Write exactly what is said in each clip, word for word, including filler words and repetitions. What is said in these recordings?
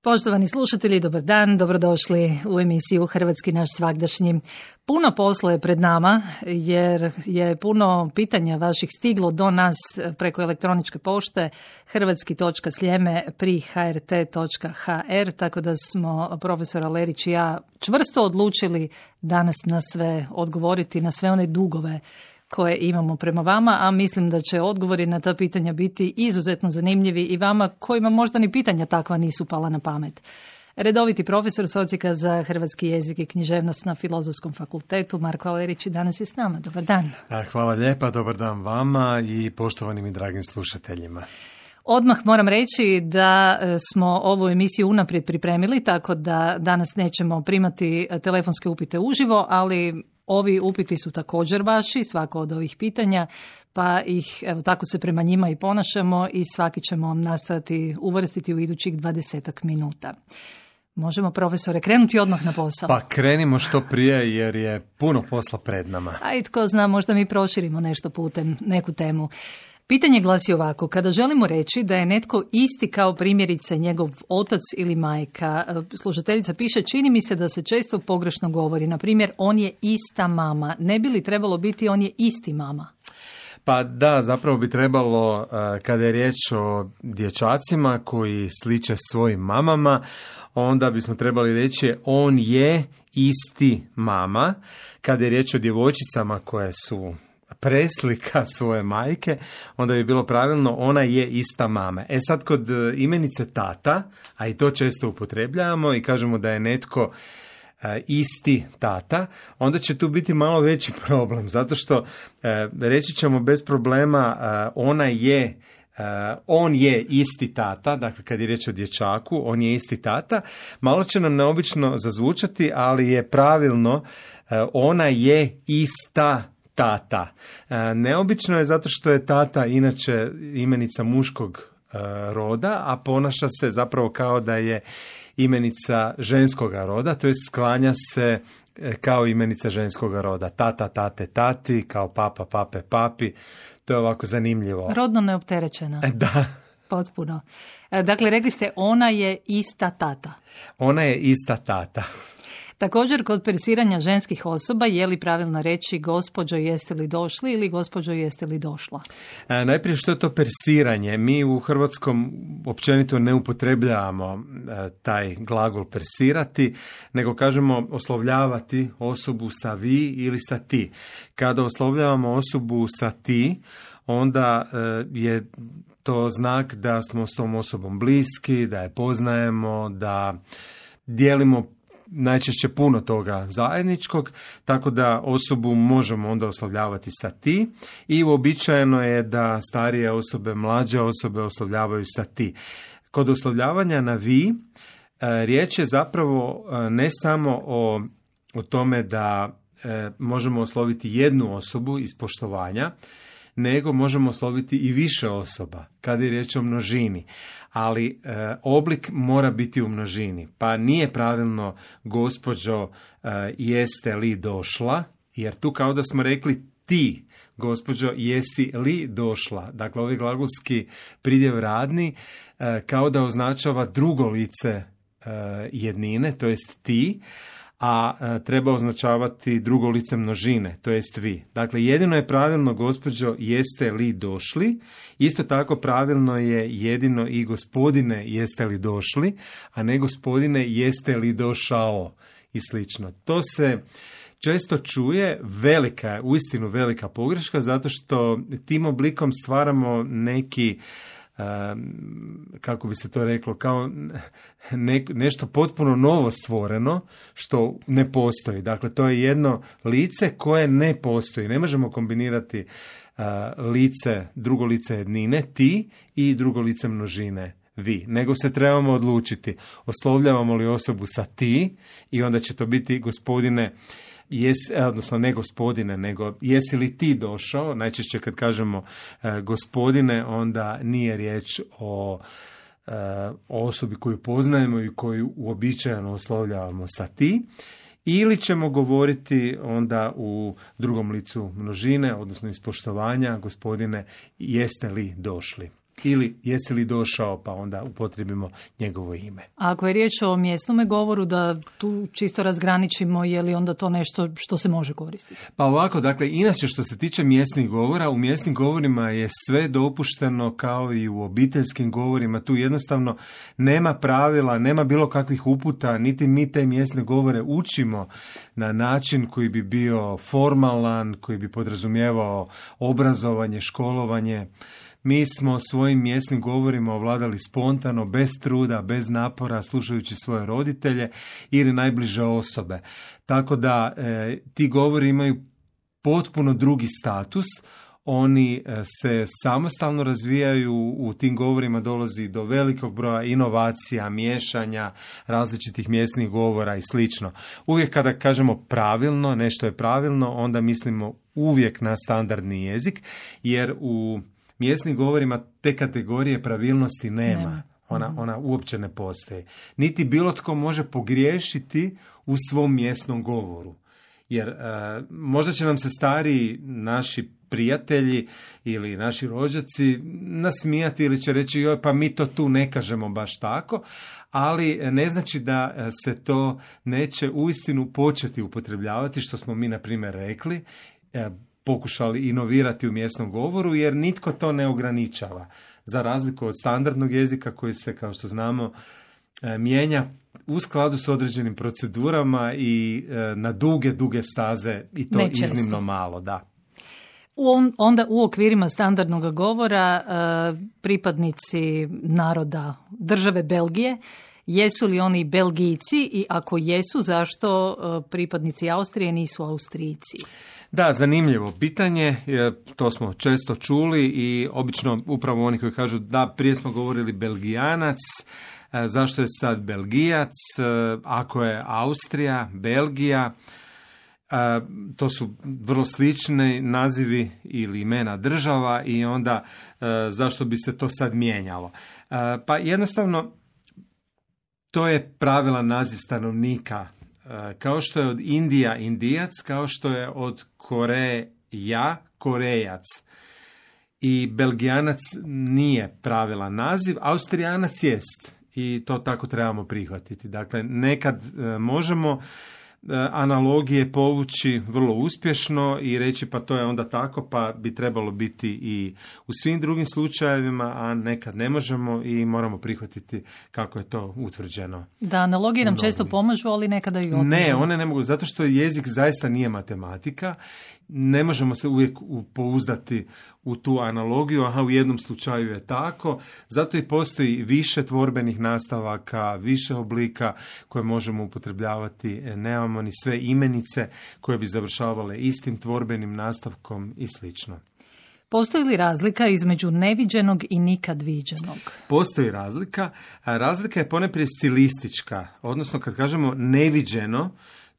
Poštovani slušatelji, dobar dan, dobrodošli u emisiju Hrvatski naš svagdašnji. Puno posla je pred nama jer je puno pitanja vaših stiglo do nas preko elektroničke pošte hrvatski točka sljeme pri h r t točka h r, tako da smo profesor Alerić i ja čvrsto odlučili danas na sve odgovoriti, na sve one dugove koje imamo prema vama, a mislim da će odgovori na ta pitanja biti izuzetno zanimljivi i vama kojima možda ni pitanja takva nisu pala na pamet. Redoviti profesor s Odsjeka za hrvatski jezik i književnost na Filozofskom fakultetu Marko Alerić danas je s nama. Dobar dan. Hvala lijepa, dobar dan vama i poštovanim i dragim slušateljima. Odmah moram reći da smo ovu emisiju unaprijed pripremili, tako da danas nećemo primati telefonske upite uživo, ali ovi upiti su također vaši, svako od ovih pitanja, pa ih, evo, tako se prema njima i ponašamo i svaki ćemo nastojati uvrstiti u idućih dvadesetak minuta. Možemo, profesore, krenuti odmah na posao? Pa krenimo što prije jer je puno posla pred nama. A i tko zna, možda mi proširimo nešto putem, neku temu. Pitanje glasi ovako: kada želimo reći da je netko isti kao primjerice njegov otac ili majka, slušateljica piše, čini mi se da se često pogrešno govori. Na primjer, on je ista mama. Ne bi li trebalo biti on je isti mama? Pa da, zapravo bi trebalo, kada je riječ o dječacima koji sliče svojim mamama, onda bismo trebali reći on je isti mama. Kada je riječ o djevojčicama koje su preslika svoje majke, onda bi bilo pravilno ona je ista mama. E sad, kod imenice tata, a i to često upotrebljavamo i kažemo da je netko e, isti tata, onda će tu biti malo veći problem, zato što e, reći ćemo bez problema e, ona je Uh, on je isti tata, dakle kad je riječ o dječaku, on je isti tata. Malo će nam neobično zazvučati, ali je pravilno uh, ona je ista tata. Uh, neobično je zato što je tata inače imenica muškog uh, roda, a ponaša se zapravo kao da je imenica ženskoga roda, to je sklanja se kao imenica ženskoga roda. Tata, tate, tati, kao papa, pape, papi. To je ovako zanimljivo. Rodno neopterećena. Da. Potpuno. Dakle, rekli ste ona je ista tata. Ona je ista tata. Također, kod persiranja ženskih osoba, je li pravilno reći gospođo jeste li došli ili gospođo jeste li došla? E, najprije, što je to persiranje? Mi u hrvatskom općenito ne upotrebljavamo e, taj glagol persirati, nego kažemo oslovljavati osobu sa vi ili sa ti. Kada oslovljavamo osobu sa ti, onda e, je to znak da smo s tom osobom bliski, da je poznajemo, da dijelimo najčešće puno toga zajedničkog, tako da osobu možemo onda oslovljavati sa ti i uobičajeno je da starije osobe, mlađe osobe oslovljavaju sa ti. Kod oslovljavanja na vi, riječ je zapravo ne samo o, o tome da e, možemo osloviti jednu osobu iz poštovanja, nego možemo osloviti i više osoba kada je riječ o množini. Ali e, oblik mora biti u množini. Pa nije pravilno gospođo e, jeste li došla, jer tu kao da smo rekli ti, gospođo jesi li došla. Dakle, ovaj glagolski pridjev radni e, kao da označava drugo lice e, jednine, to jest ti, a e, treba označavati drugo lice množine, to jest vi. Dakle, jedino je pravilno gospođo jeste li došli, isto tako pravilno je jedino i gospodine jeste li došli, a ne gospodine jeste li došao i slično. To se često čuje, velika je, uistinu velika pogreška, zato što tim oblikom stvaramo neki, kako bi se to reklo, kao ne, nešto potpuno novo stvoreno što ne postoji. Dakle, to je jedno lice koje ne postoji. Ne možemo kombinirati uh, lice, drugo lice jednine, ti, i drugo lice množine, vi. Nego se trebamo odlučiti, oslovljavamo li osobu sa ti i onda će to biti gospodine, Jes, odnosno ne gospodine, nego jesi li ti došao? Najčešće kad kažemo e, gospodine, onda nije riječ o, e, o osobi koju poznajemo i koju uobičajeno oslovljavamo sa ti. Ili ćemo govoriti onda u drugom licu množine, odnosno iz poštovanja, gospodine, jeste li došli? ili jesi li došao, pa onda upotrijebimo njegovo ime. A ako je riječ o mjesnome govoru, da tu čisto razgraničimo, je li onda to nešto što se može koristiti? Pa ovako, dakle, inače što se tiče mjesnih govora, u mjesnim govorima je sve dopušteno kao i u obiteljskim govorima. Tu jednostavno nema pravila, nema bilo kakvih uputa, niti mi te mjesne govore učimo na način koji bi bio formalan, koji bi podrazumijevao obrazovanje, školovanje. Mi smo svojim mjesnim govorima ovladali spontano, bez truda, bez napora, slušajući svoje roditelje ili najbliže osobe. Tako da e, ti govori imaju potpuno drugi status. Oni se samostalno razvijaju, u tim govorima dolazi do velikog broja inovacija, miješanja, različitih mjesnih govora i slično. Uvijek kada kažemo pravilno, nešto je pravilno, onda mislimo uvijek na standardni jezik, jer u mjesnim govorima te kategorije pravilnosti nema. nema. Ona, ona uopće ne postoji. Niti bilo tko može pogriješiti u svom mjesnom govoru. Jer e, možda će nam se stari naši prijatelji ili naši rođaci nasmijati ili će reći joj, pa mi to tu ne kažemo baš tako, ali ne znači da se to neće uistinu početi upotrebljavati, što smo mi na primjer rekli, e, pokušali inovirati u mjesnom govoru, jer nitko to ne ograničava. Za razliku od standardnog jezika koji se, kao što znamo, mijenja u skladu s određenim procedurama i na duge, duge staze i to Nečesto. iznimno malo, da. U, onda u okvirima standardnog govora pripadnici naroda države Belgije, jesu li oni Belgijci i ako jesu, zašto pripadnici Austrije nisu Austrijci? Da, zanimljivo pitanje, to smo često čuli i obično upravo oni koji kažu da prije smo govorili Belgijanac, zašto je sad Belgijac, ako je Austrija, Belgija, to su vrlo slični nazivi ili imena država i onda zašto bi se to sad mijenjalo. Pa jednostavno to je pravilan naziv stanovnika. Kao što je od Indija Indijac, kao što je od Koreja Korejac. I Belgijanac nije pravilan naziv, Austrijanac jest. I to tako trebamo prihvatiti. Dakle, nekad možemo analogije povući vrlo uspješno i reći pa to je onda tako, pa bi trebalo biti i u svim drugim slučajevima, a nekad ne možemo i moramo prihvatiti kako je to utvrđeno. Da, analogije nam često pomažu, ali nekada i odmožu. Ne, one ne mogu, zato što jezik zaista nije matematika. Ne možemo se uvijek pouzdati u tu analogiju, aha, u jednom slučaju je tako, zato i postoji više tvorbenih nastavaka, više oblika koje možemo upotrebljavati, nemamo ni sve imenice koje bi završavale istim tvorbenim nastavkom i slično. Postoji li razlika između neviđenog i nikad viđenog? Postoji razlika, a razlika je ponajprije stilistička, odnosno kad kažemo neviđeno,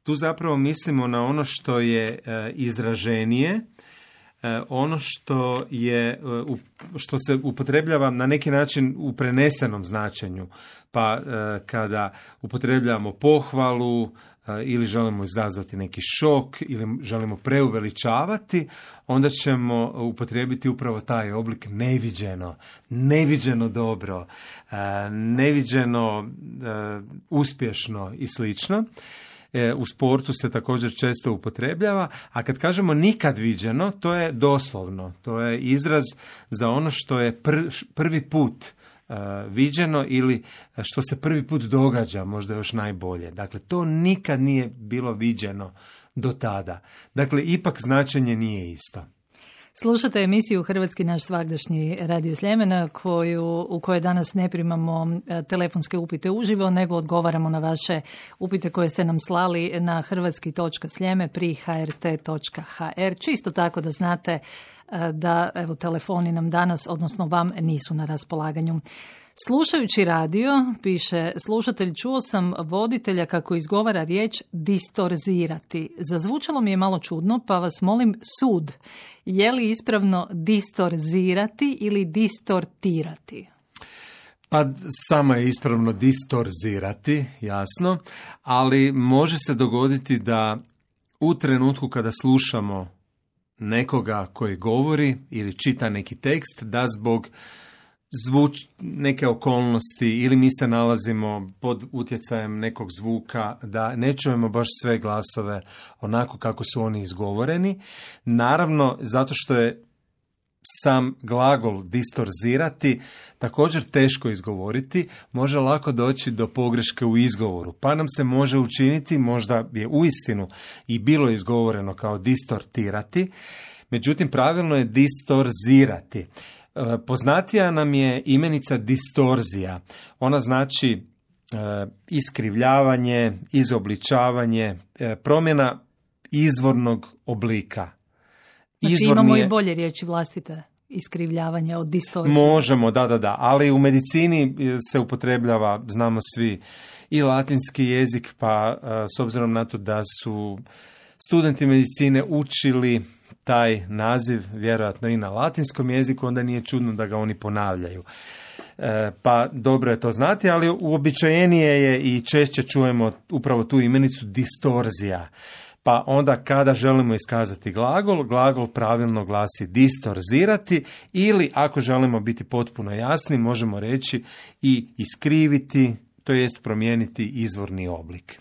tu zapravo mislimo na ono što je e, izraženije, e, ono što je e, u, što se upotrebljava na neki način u prenesenom značenju. Pa e, kada upotrebljavamo pohvalu e, ili želimo izazvati neki šok ili želimo preuveličavati, onda ćemo upotrijebiti upravo taj oblik neviđeno, neviđeno dobro, e, neviđeno e, uspješno i slično. U sportu se također često upotrebljava, a kad kažemo nikad viđeno, to je doslovno, to je izraz za ono što je pr, prvi put uh, viđeno ili što se prvi put događa, možda još najbolje. Dakle, to nikad nije bilo viđeno do tada. Dakle, ipak značenje nije isto. Slušate emisiju Hrvatski naš svagdašnji Radio Sljemena koju, u kojoj danas ne primamo telefonske upite uživo, nego odgovaramo na vaše upite koje ste nam slali na hrvatski točka sljeme pri h r t točka h r. Čisto tako da znate da evo, telefoni nam danas, odnosno vam, nisu na raspolaganju. Slušajući radio, piše slušatelj, čuo sam voditelja kako izgovara riječ distorzirati. Zazvučalo mi je malo čudno, pa vas molim sud. Je li ispravno distorzirati ili distortirati? Pa samo je ispravno distorzirati, jasno, ali može se dogoditi da u trenutku kada slušamo nekoga koji govori ili čita neki tekst, da zbog zvuč, neke okolnosti ili mi se nalazimo pod utjecajem nekog zvuka, da ne čujemo baš sve glasove onako kako su oni izgovoreni. Naravno, zato što je sam glagol distorzirati također teško izgovoriti, može lako doći do pogreške u izgovoru, pa nam se može učiniti, možda je uistinu i bilo izgovoreno kao distortirati, međutim pravilno je distorzirati. Poznatija nam je imenica distorzija. Ona znači e, iskrivljavanje, izobličavanje, e, promjena izvornog oblika. Znači Izvorni imamo je... i bolje riječi vlastite, iskrivljavanje od distorzije. Možemo, da, da, da, ali u medicini se upotrebljava, znamo svi, i latinski jezik, pa s obzirom na to da su studenti medicine učili taj naziv vjerojatno i na latinskom jeziku, onda nije čudno da ga oni ponavljaju. E, pa dobro je to znati, ali uobičajenije je i češće čujemo upravo tu imenicu distorzija. Pa onda kada želimo iskazati glagol, glagol pravilno glasi distorzirati, ili ako želimo biti potpuno jasni, možemo reći i iskriviti, to jest promijeniti izvorni oblik.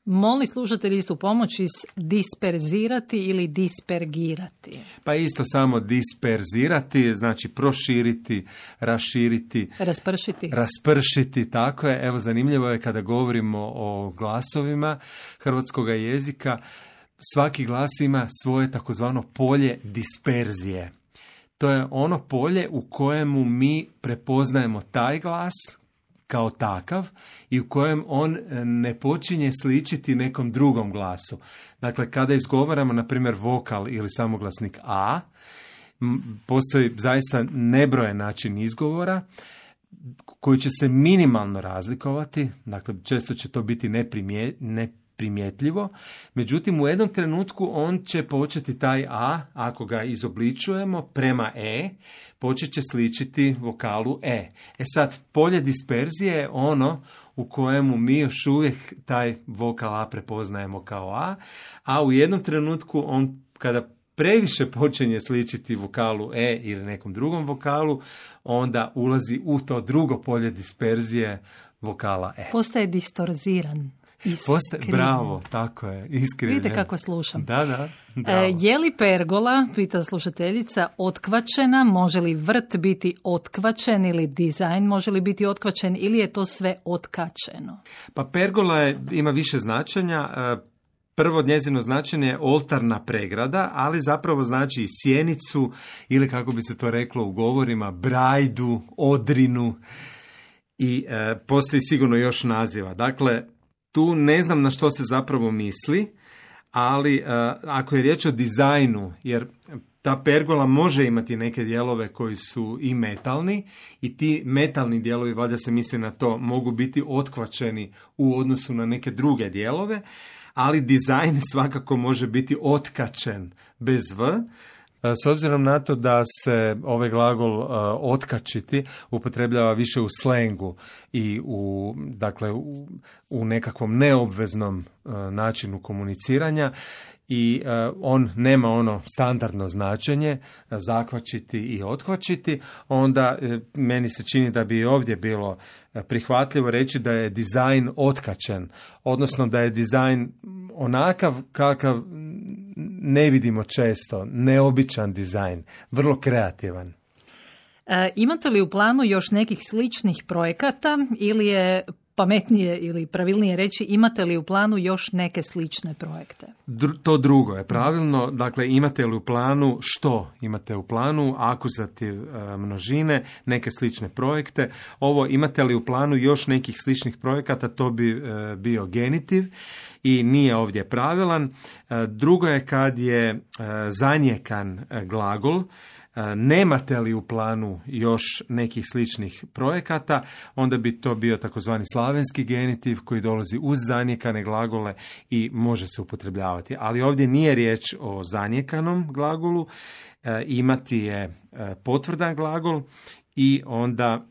Moli slušatelji istu pomoć iz disperzirati ili dispergirati? Pa isto samo disperzirati, znači proširiti, raširiti. Raspršiti. Raspršiti, tako je. Evo, zanimljivo je kada govorimo o glasovima hrvatskog jezika, svaki glas ima svoje takozvano polje disperzije. To je ono polje u kojemu mi prepoznajemo taj glas kao takav i u kojem on ne počinje sličiti nekom drugom glasu. Dakle, kada izgovaramo, na primjer, vokal ili samoglasnik A, postoji zaista nebrojen način izgovora koji će se minimalno razlikovati, dakle, često će to biti neprimje, neprimjetljivo, međutim, u jednom trenutku on će početi taj A, ako ga izobličujemo prema E, počet će sličiti vokalu E. E sad, polje disperzije je ono u kojemu mi još uvijek taj vokal A prepoznajemo kao A, a u jednom trenutku on, kada previše počinje sličiti vokalu E ili nekom drugom vokalu, onda ulazi u to drugo polje disperzije vokala E. Postaje distorziran. Postaje, bravo, tako je, iskrivljen. Vidite kako slušam. Da, da, bravo. E, je li pergola, pita slušateljica, otkvačena? Može li vrt biti otkvačen ili dizajn može li biti otkvačen ili je to sve otkačeno? Pa pergola je, ima više značenja. Prvo njezino značenje je oltarna pregrada, ali zapravo znači i sjenicu ili, kako bi se to reklo u govorima, brajdu, odrinu i e, postoji sigurno još naziva. Dakle, tu ne znam na što se zapravo misli, ali uh, ako je riječ o dizajnu, jer ta pergola može imati neke dijelove koji su i metalni i ti metalni dijelovi, valjda se misli na to, mogu biti otkvačeni u odnosu na neke druge dijelove, ali dizajn svakako može biti otkačen bez v. S obzirom na to da se ovaj glagol uh, otkačiti upotrebljava više u slengu i u, dakle, u, u nekakvom neobveznom uh, načinu komuniciranja i uh, on nema ono standardno značenje uh, zakvačiti i otkvačiti, onda uh, meni se čini da bi ovdje bilo uh, prihvatljivo reći da je dizajn otkačen, odnosno da je dizajn onakav kakav ne vidimo često, neobičan dizajn, vrlo kreativan. E, imate li u planu još nekih sličnih projekata ili je pametnije ili pravilnije reći imate li u planu još neke slične projekte? Dr- to drugo je pravilno, dakle imate li u planu što? Imate u planu akuzativ e, množine, neke slične projekte. Ovo imate li u planu još nekih sličnih projekata, to bi e, bio genitiv i nije ovdje pravilan. E, drugo je kad je e, zanjekan e, glagol. Nemate li u planu još nekih sličnih projekata, onda bi to bio takozvani slavenski genitiv koji dolazi uz zanjekane glagole i može se upotrebljavati. Ali ovdje nije riječ o zanjekanom glagolu, e, imati je e, potvrdan glagol i onda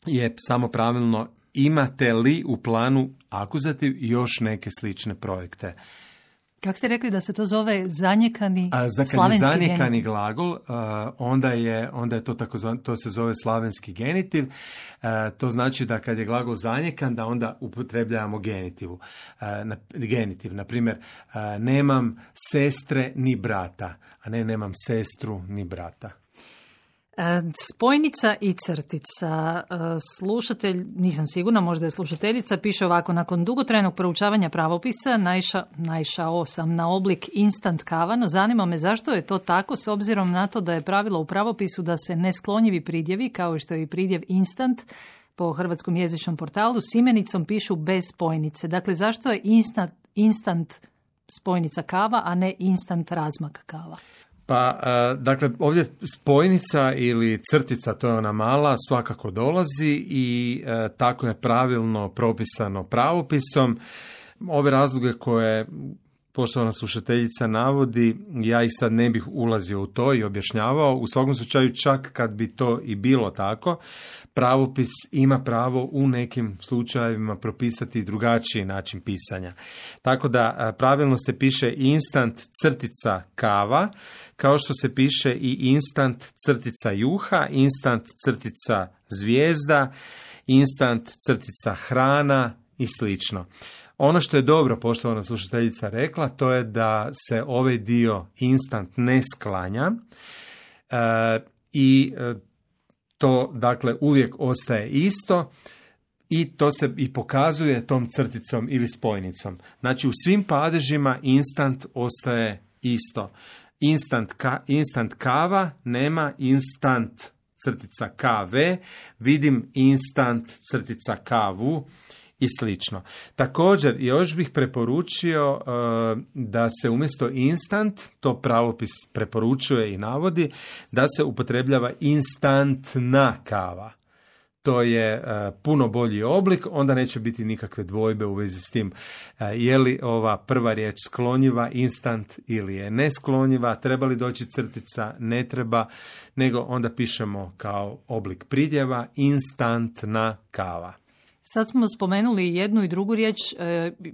je samo pravilno imate li u planu akuzativ još neke slične projekte. Kako ste rekli da se to zove zanjekani A, za kad slavenski je zanjekani genitiv? glagol, uh, onda je, onda je to takozvan, to se zove slavenski genitiv. Uh, to znači da kad je glagol zanjekan, da onda upotrebljavamo genitivu. Uh, na, genitiv, na primjer, uh, nemam sestre ni brata, a ne nemam sestru ni brata. Spojnica i crtica. Slušatelj, nisam sigurna, možda je slušateljica, piše ovako: nakon dugotrajnog proučavanja pravopisa naiša, naišao sam na oblik instant kava, no zanima me zašto je to tako, s obzirom na to da je pravilo u pravopisu da se nesklonjivi pridjevi, kao što je i pridjev instant po hrvatskom jezičnom portalu, s imenicom pišu bez spojnice. Dakle, zašto je instant, instant spojnica kava, a ne instant razmak kava? Pa, dakle, ovdje spojnica ili crtica, to je ona mala, svakako dolazi i tako je pravilno propisano pravopisom. Ove razloge koje poštovana slušateljica navodi, ja ih sad ne bih ulazio u to i objašnjavao. U svakom slučaju, čak kad bi to i bilo tako, pravopis ima pravo u nekim slučajevima propisati drugačiji način pisanja. Tako da pravilno se piše instant crtica kava, kao što se piše i instant crtica juha, instant crtica zvijezda, instant crtica hrana i slično. Ono što je dobro, poštovana slušateljica rekla, to je da se ovaj dio instant ne sklanja e, i e, to dakle uvijek ostaje isto i to se i pokazuje tom crticom ili spojnicom. Znači u svim padežima instant ostaje isto. Instant, ka, instant kava nema instant crtica kave, vidim instant crtica kavu i slično. Također, još bih preporučio uh, da se umjesto instant, to pravopis preporučuje i navodi, da se upotrebljava instantna kava. To je uh, puno bolji oblik, onda neće biti nikakve dvojbe u vezi s tim uh, je li ova prva riječ sklonjiva, instant ili je nesklonjiva, treba li doći crtica, ne treba, nego onda pišemo kao oblik pridjeva instantna kava. Sad smo spomenuli jednu i drugu riječ.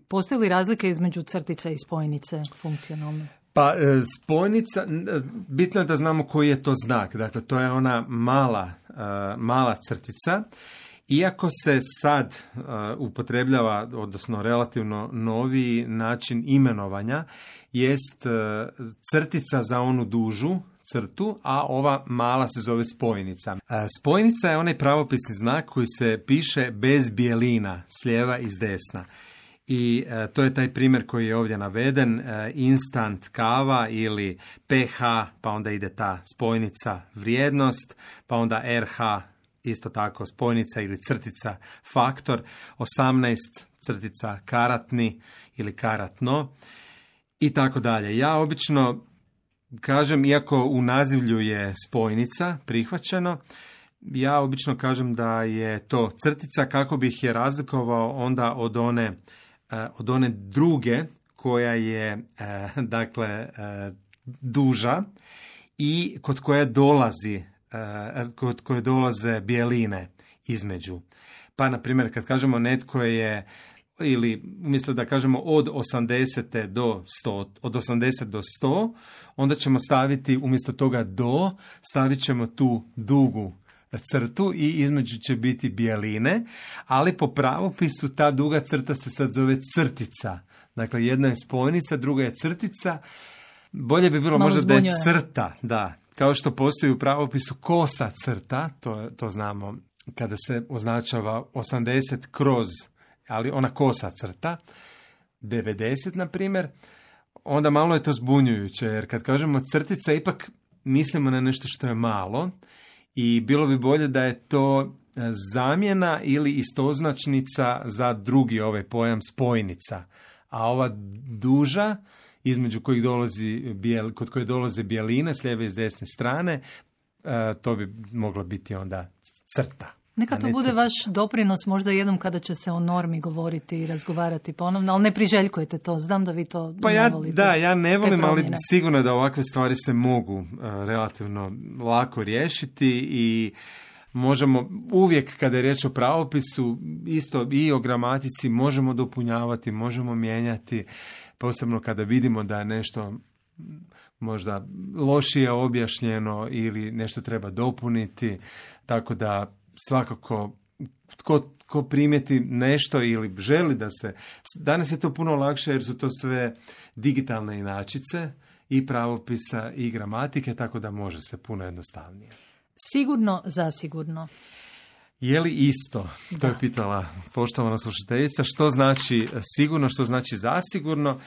Postoji li razlika između crtice i spojnice funkcionalne? Pa spojnica, bitno je da znamo koji je to znak. Dakle, to je ona mala, mala crtica. Iako se sad upotrebljava, odnosno relativno noviji način imenovanja, jest crtica za onu dužu crtu, a ova mala se zove spojnica. Spojnica je onaj pravopisni znak koji se piše bez bijelina, s lijeva i s desna. I e, to je taj primjer koji je ovdje naveden, e, instant kava ili pH, pa onda ide ta spojnica vrijednost, pa onda er ha, isto tako spojnica ili crtica faktor, osamnaest crtica karatni ili karatno i tako dalje. Ja obično kažem, iako u nazivlju je spojnica prihvaćeno, ja obično kažem da je to crtica kako bih je razlikovao onda od one, od one druge koja je dakle duža i kod koje dolazi, kod koje dolaze bijeline između. Pa na primjer kad kažemo netko je, ili umjesto da kažemo od osamdeset do sto, od osamdeset do sto, onda ćemo staviti umjesto toga do, stavit ćemo tu dugu crtu i između će biti bijeline, ali po pravopisu ta duga crta se sad zove crtica. Dakle, jedna je spojnica, druga je crtica. Bolje bi bilo Malo možda zbunjuje. da je crta, da. Kao što postoji u pravopisu kosa crta, to, to znamo kada se označava osamdeset kroz, ali ona kosa crta, devedeset na primjer, onda malo je to zbunjujuće, jer kad kažemo crtica, ipak mislimo na nešto što je malo i bilo bi bolje da je to zamjena ili istoznačnica za drugi ovaj pojam spojnica. A ova duža, između kojih dolazi bijel, kod koje dolaze bijeline s lijeve i s desne strane, to bi mogla biti onda crta. Neka to bude vaš doprinos možda jednom kada će se o normi govoriti i razgovarati ponovno, ali ne priželjkujete to, znam da vi to pa ne ja, volite. Da, ja ne volim, ali promjene. sigurno da ovakve stvari se mogu uh, relativno lako riješiti i možemo uvijek kada je riječ o pravopisu, isto i o gramatici, možemo dopunjavati, možemo mijenjati, posebno kada vidimo da je nešto možda lošije objašnjeno ili nešto treba dopuniti, tako da svakako tko, tko primijeti nešto ili želi da se... Danas je to puno lakše jer su to sve digitalne inačice i pravopisa i gramatike, tako da može se puno jednostavnije. Sigurno, zasigurno. Je li isto? Da. To je pitala poštovana slušateljica. Što znači sigurno, što znači zasigurno?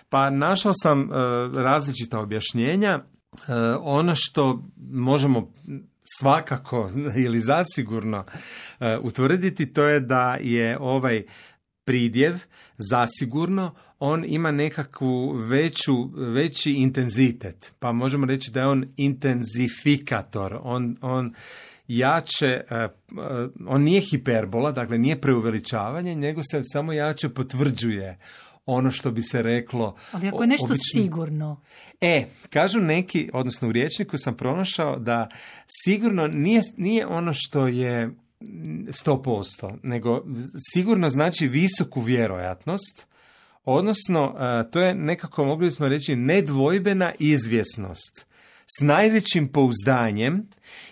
Pa našao sam uh, različita objašnjenja. Uh, ono što možemo svakako ili zasigurno uh, utvrditi, to je da je ovaj pridjev zasigurno, on ima nekakvu veću, veći intenzitet. Pa možemo reći da je on intenzifikator. On, on jače, uh, uh, on nije hiperbola, dakle nije preuveličavanje, nego se samo jače potvrđuje ono što bi se reklo... Ali ako je nešto obično... sigurno... E, kažu neki, odnosno u rječniku sam pronašao da sigurno nije, nije ono što je sto posto, nego sigurno znači visoku vjerojatnost, odnosno to je nekako, mogli bismo reći, nedvojbena izvjesnost s najvećim pouzdanjem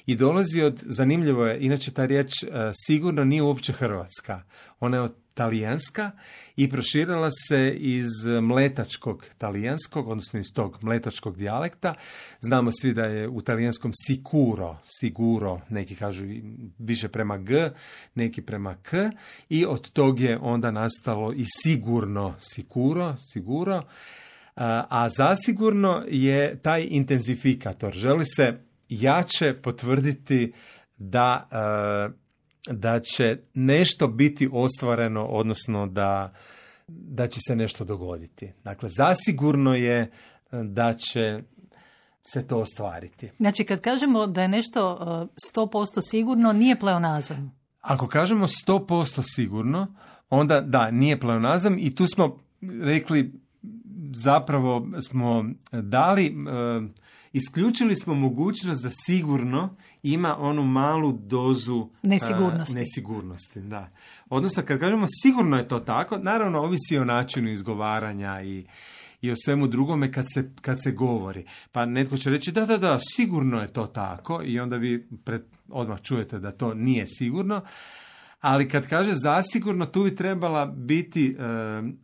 i dolazi od, zanimljivo je, inače ta riječ sigurno nije uopće hrvatska, ona je od talijanska i proširila se iz mletačkog talijanskog, odnosno iz tog mletačkog dijalekta. Znamo svi da je u talijanskom sicuro, siguro, neki kažu više prema g, neki prema k, i od tog je onda nastalo i sigurno, sicuro, siguro, a zasigurno je taj intenzifikator. Želi se jače potvrditi da da će nešto biti ostvareno, odnosno da, da će se nešto dogoditi. Dakle, zasigurno je da će se to ostvariti. Znači, kad kažemo da je nešto sto posto sigurno, nije pleonazam. Ako kažemo sto posto sigurno, onda da, nije pleonazam i tu smo rekli, zapravo smo dali... Isključili smo mogućnost da sigurno ima onu malu dozu nesigurnosti. Uh, nesigurnosti, da. Odnosno, kad kažemo sigurno je to tako, naravno ovisi o načinu izgovaranja i, i o svemu drugome kad se, kad se govori. Pa netko će reći da, da, da, sigurno je to tako i onda vi pred, odmah čujete da to nije sigurno. Ali kad kaže zasigurno, tu bi trebala biti uh,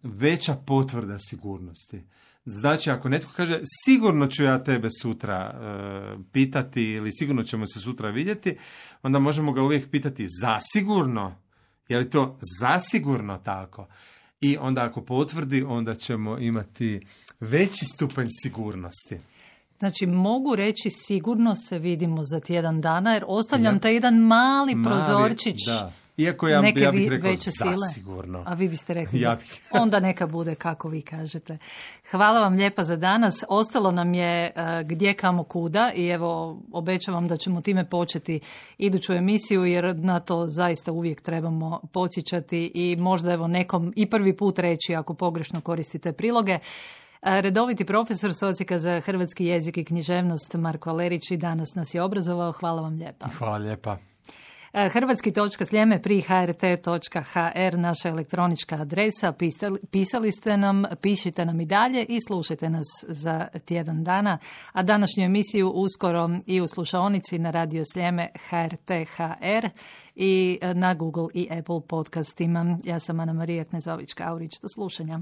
veća potvrda sigurnosti. Znači, ako netko kaže sigurno ću ja tebe sutra uh, pitati ili sigurno ćemo se sutra vidjeti, onda možemo ga uvijek pitati zasigurno, je li to zasigurno tako? I onda ako potvrdi, onda ćemo imati veći stupanj sigurnosti. Znači, mogu reći sigurno se vidimo za tjedan dana, jer ostavljam ja. taj jedan mali, mali prozorčić. Da. Iako ja, neke ja bih rekao veće sile. Zasigurno. A vi biste rekli, ja bih. Onda neka bude kako vi kažete. Hvala vam lijepa za danas. Ostalo nam je uh, gdje, kamo, kuda i evo obećavam da ćemo time početi iduću emisiju jer na to zaista uvijek trebamo podsjećati i možda evo nekom i prvi put reći ako pogrešno koristite priloge. Redoviti profesor s Odsjeka za hrvatski jezik i književnost Marko Alerić i danas nas je obrazovao. Hvala vam lijepa. Hvala lijepa. Hrvatski točka sljeme pri h r t točka h r naša elektronička adresa. Pisali, pisali ste nam, pišite nam i dalje i slušajte nas za tjedan dana. A današnju emisiju uskoro i u slušaonici na Radio Sljeme H R T H R i na Google i Apple podcastima. Ja sam Ana Marija Knezović-Kaurić. Do slušanja.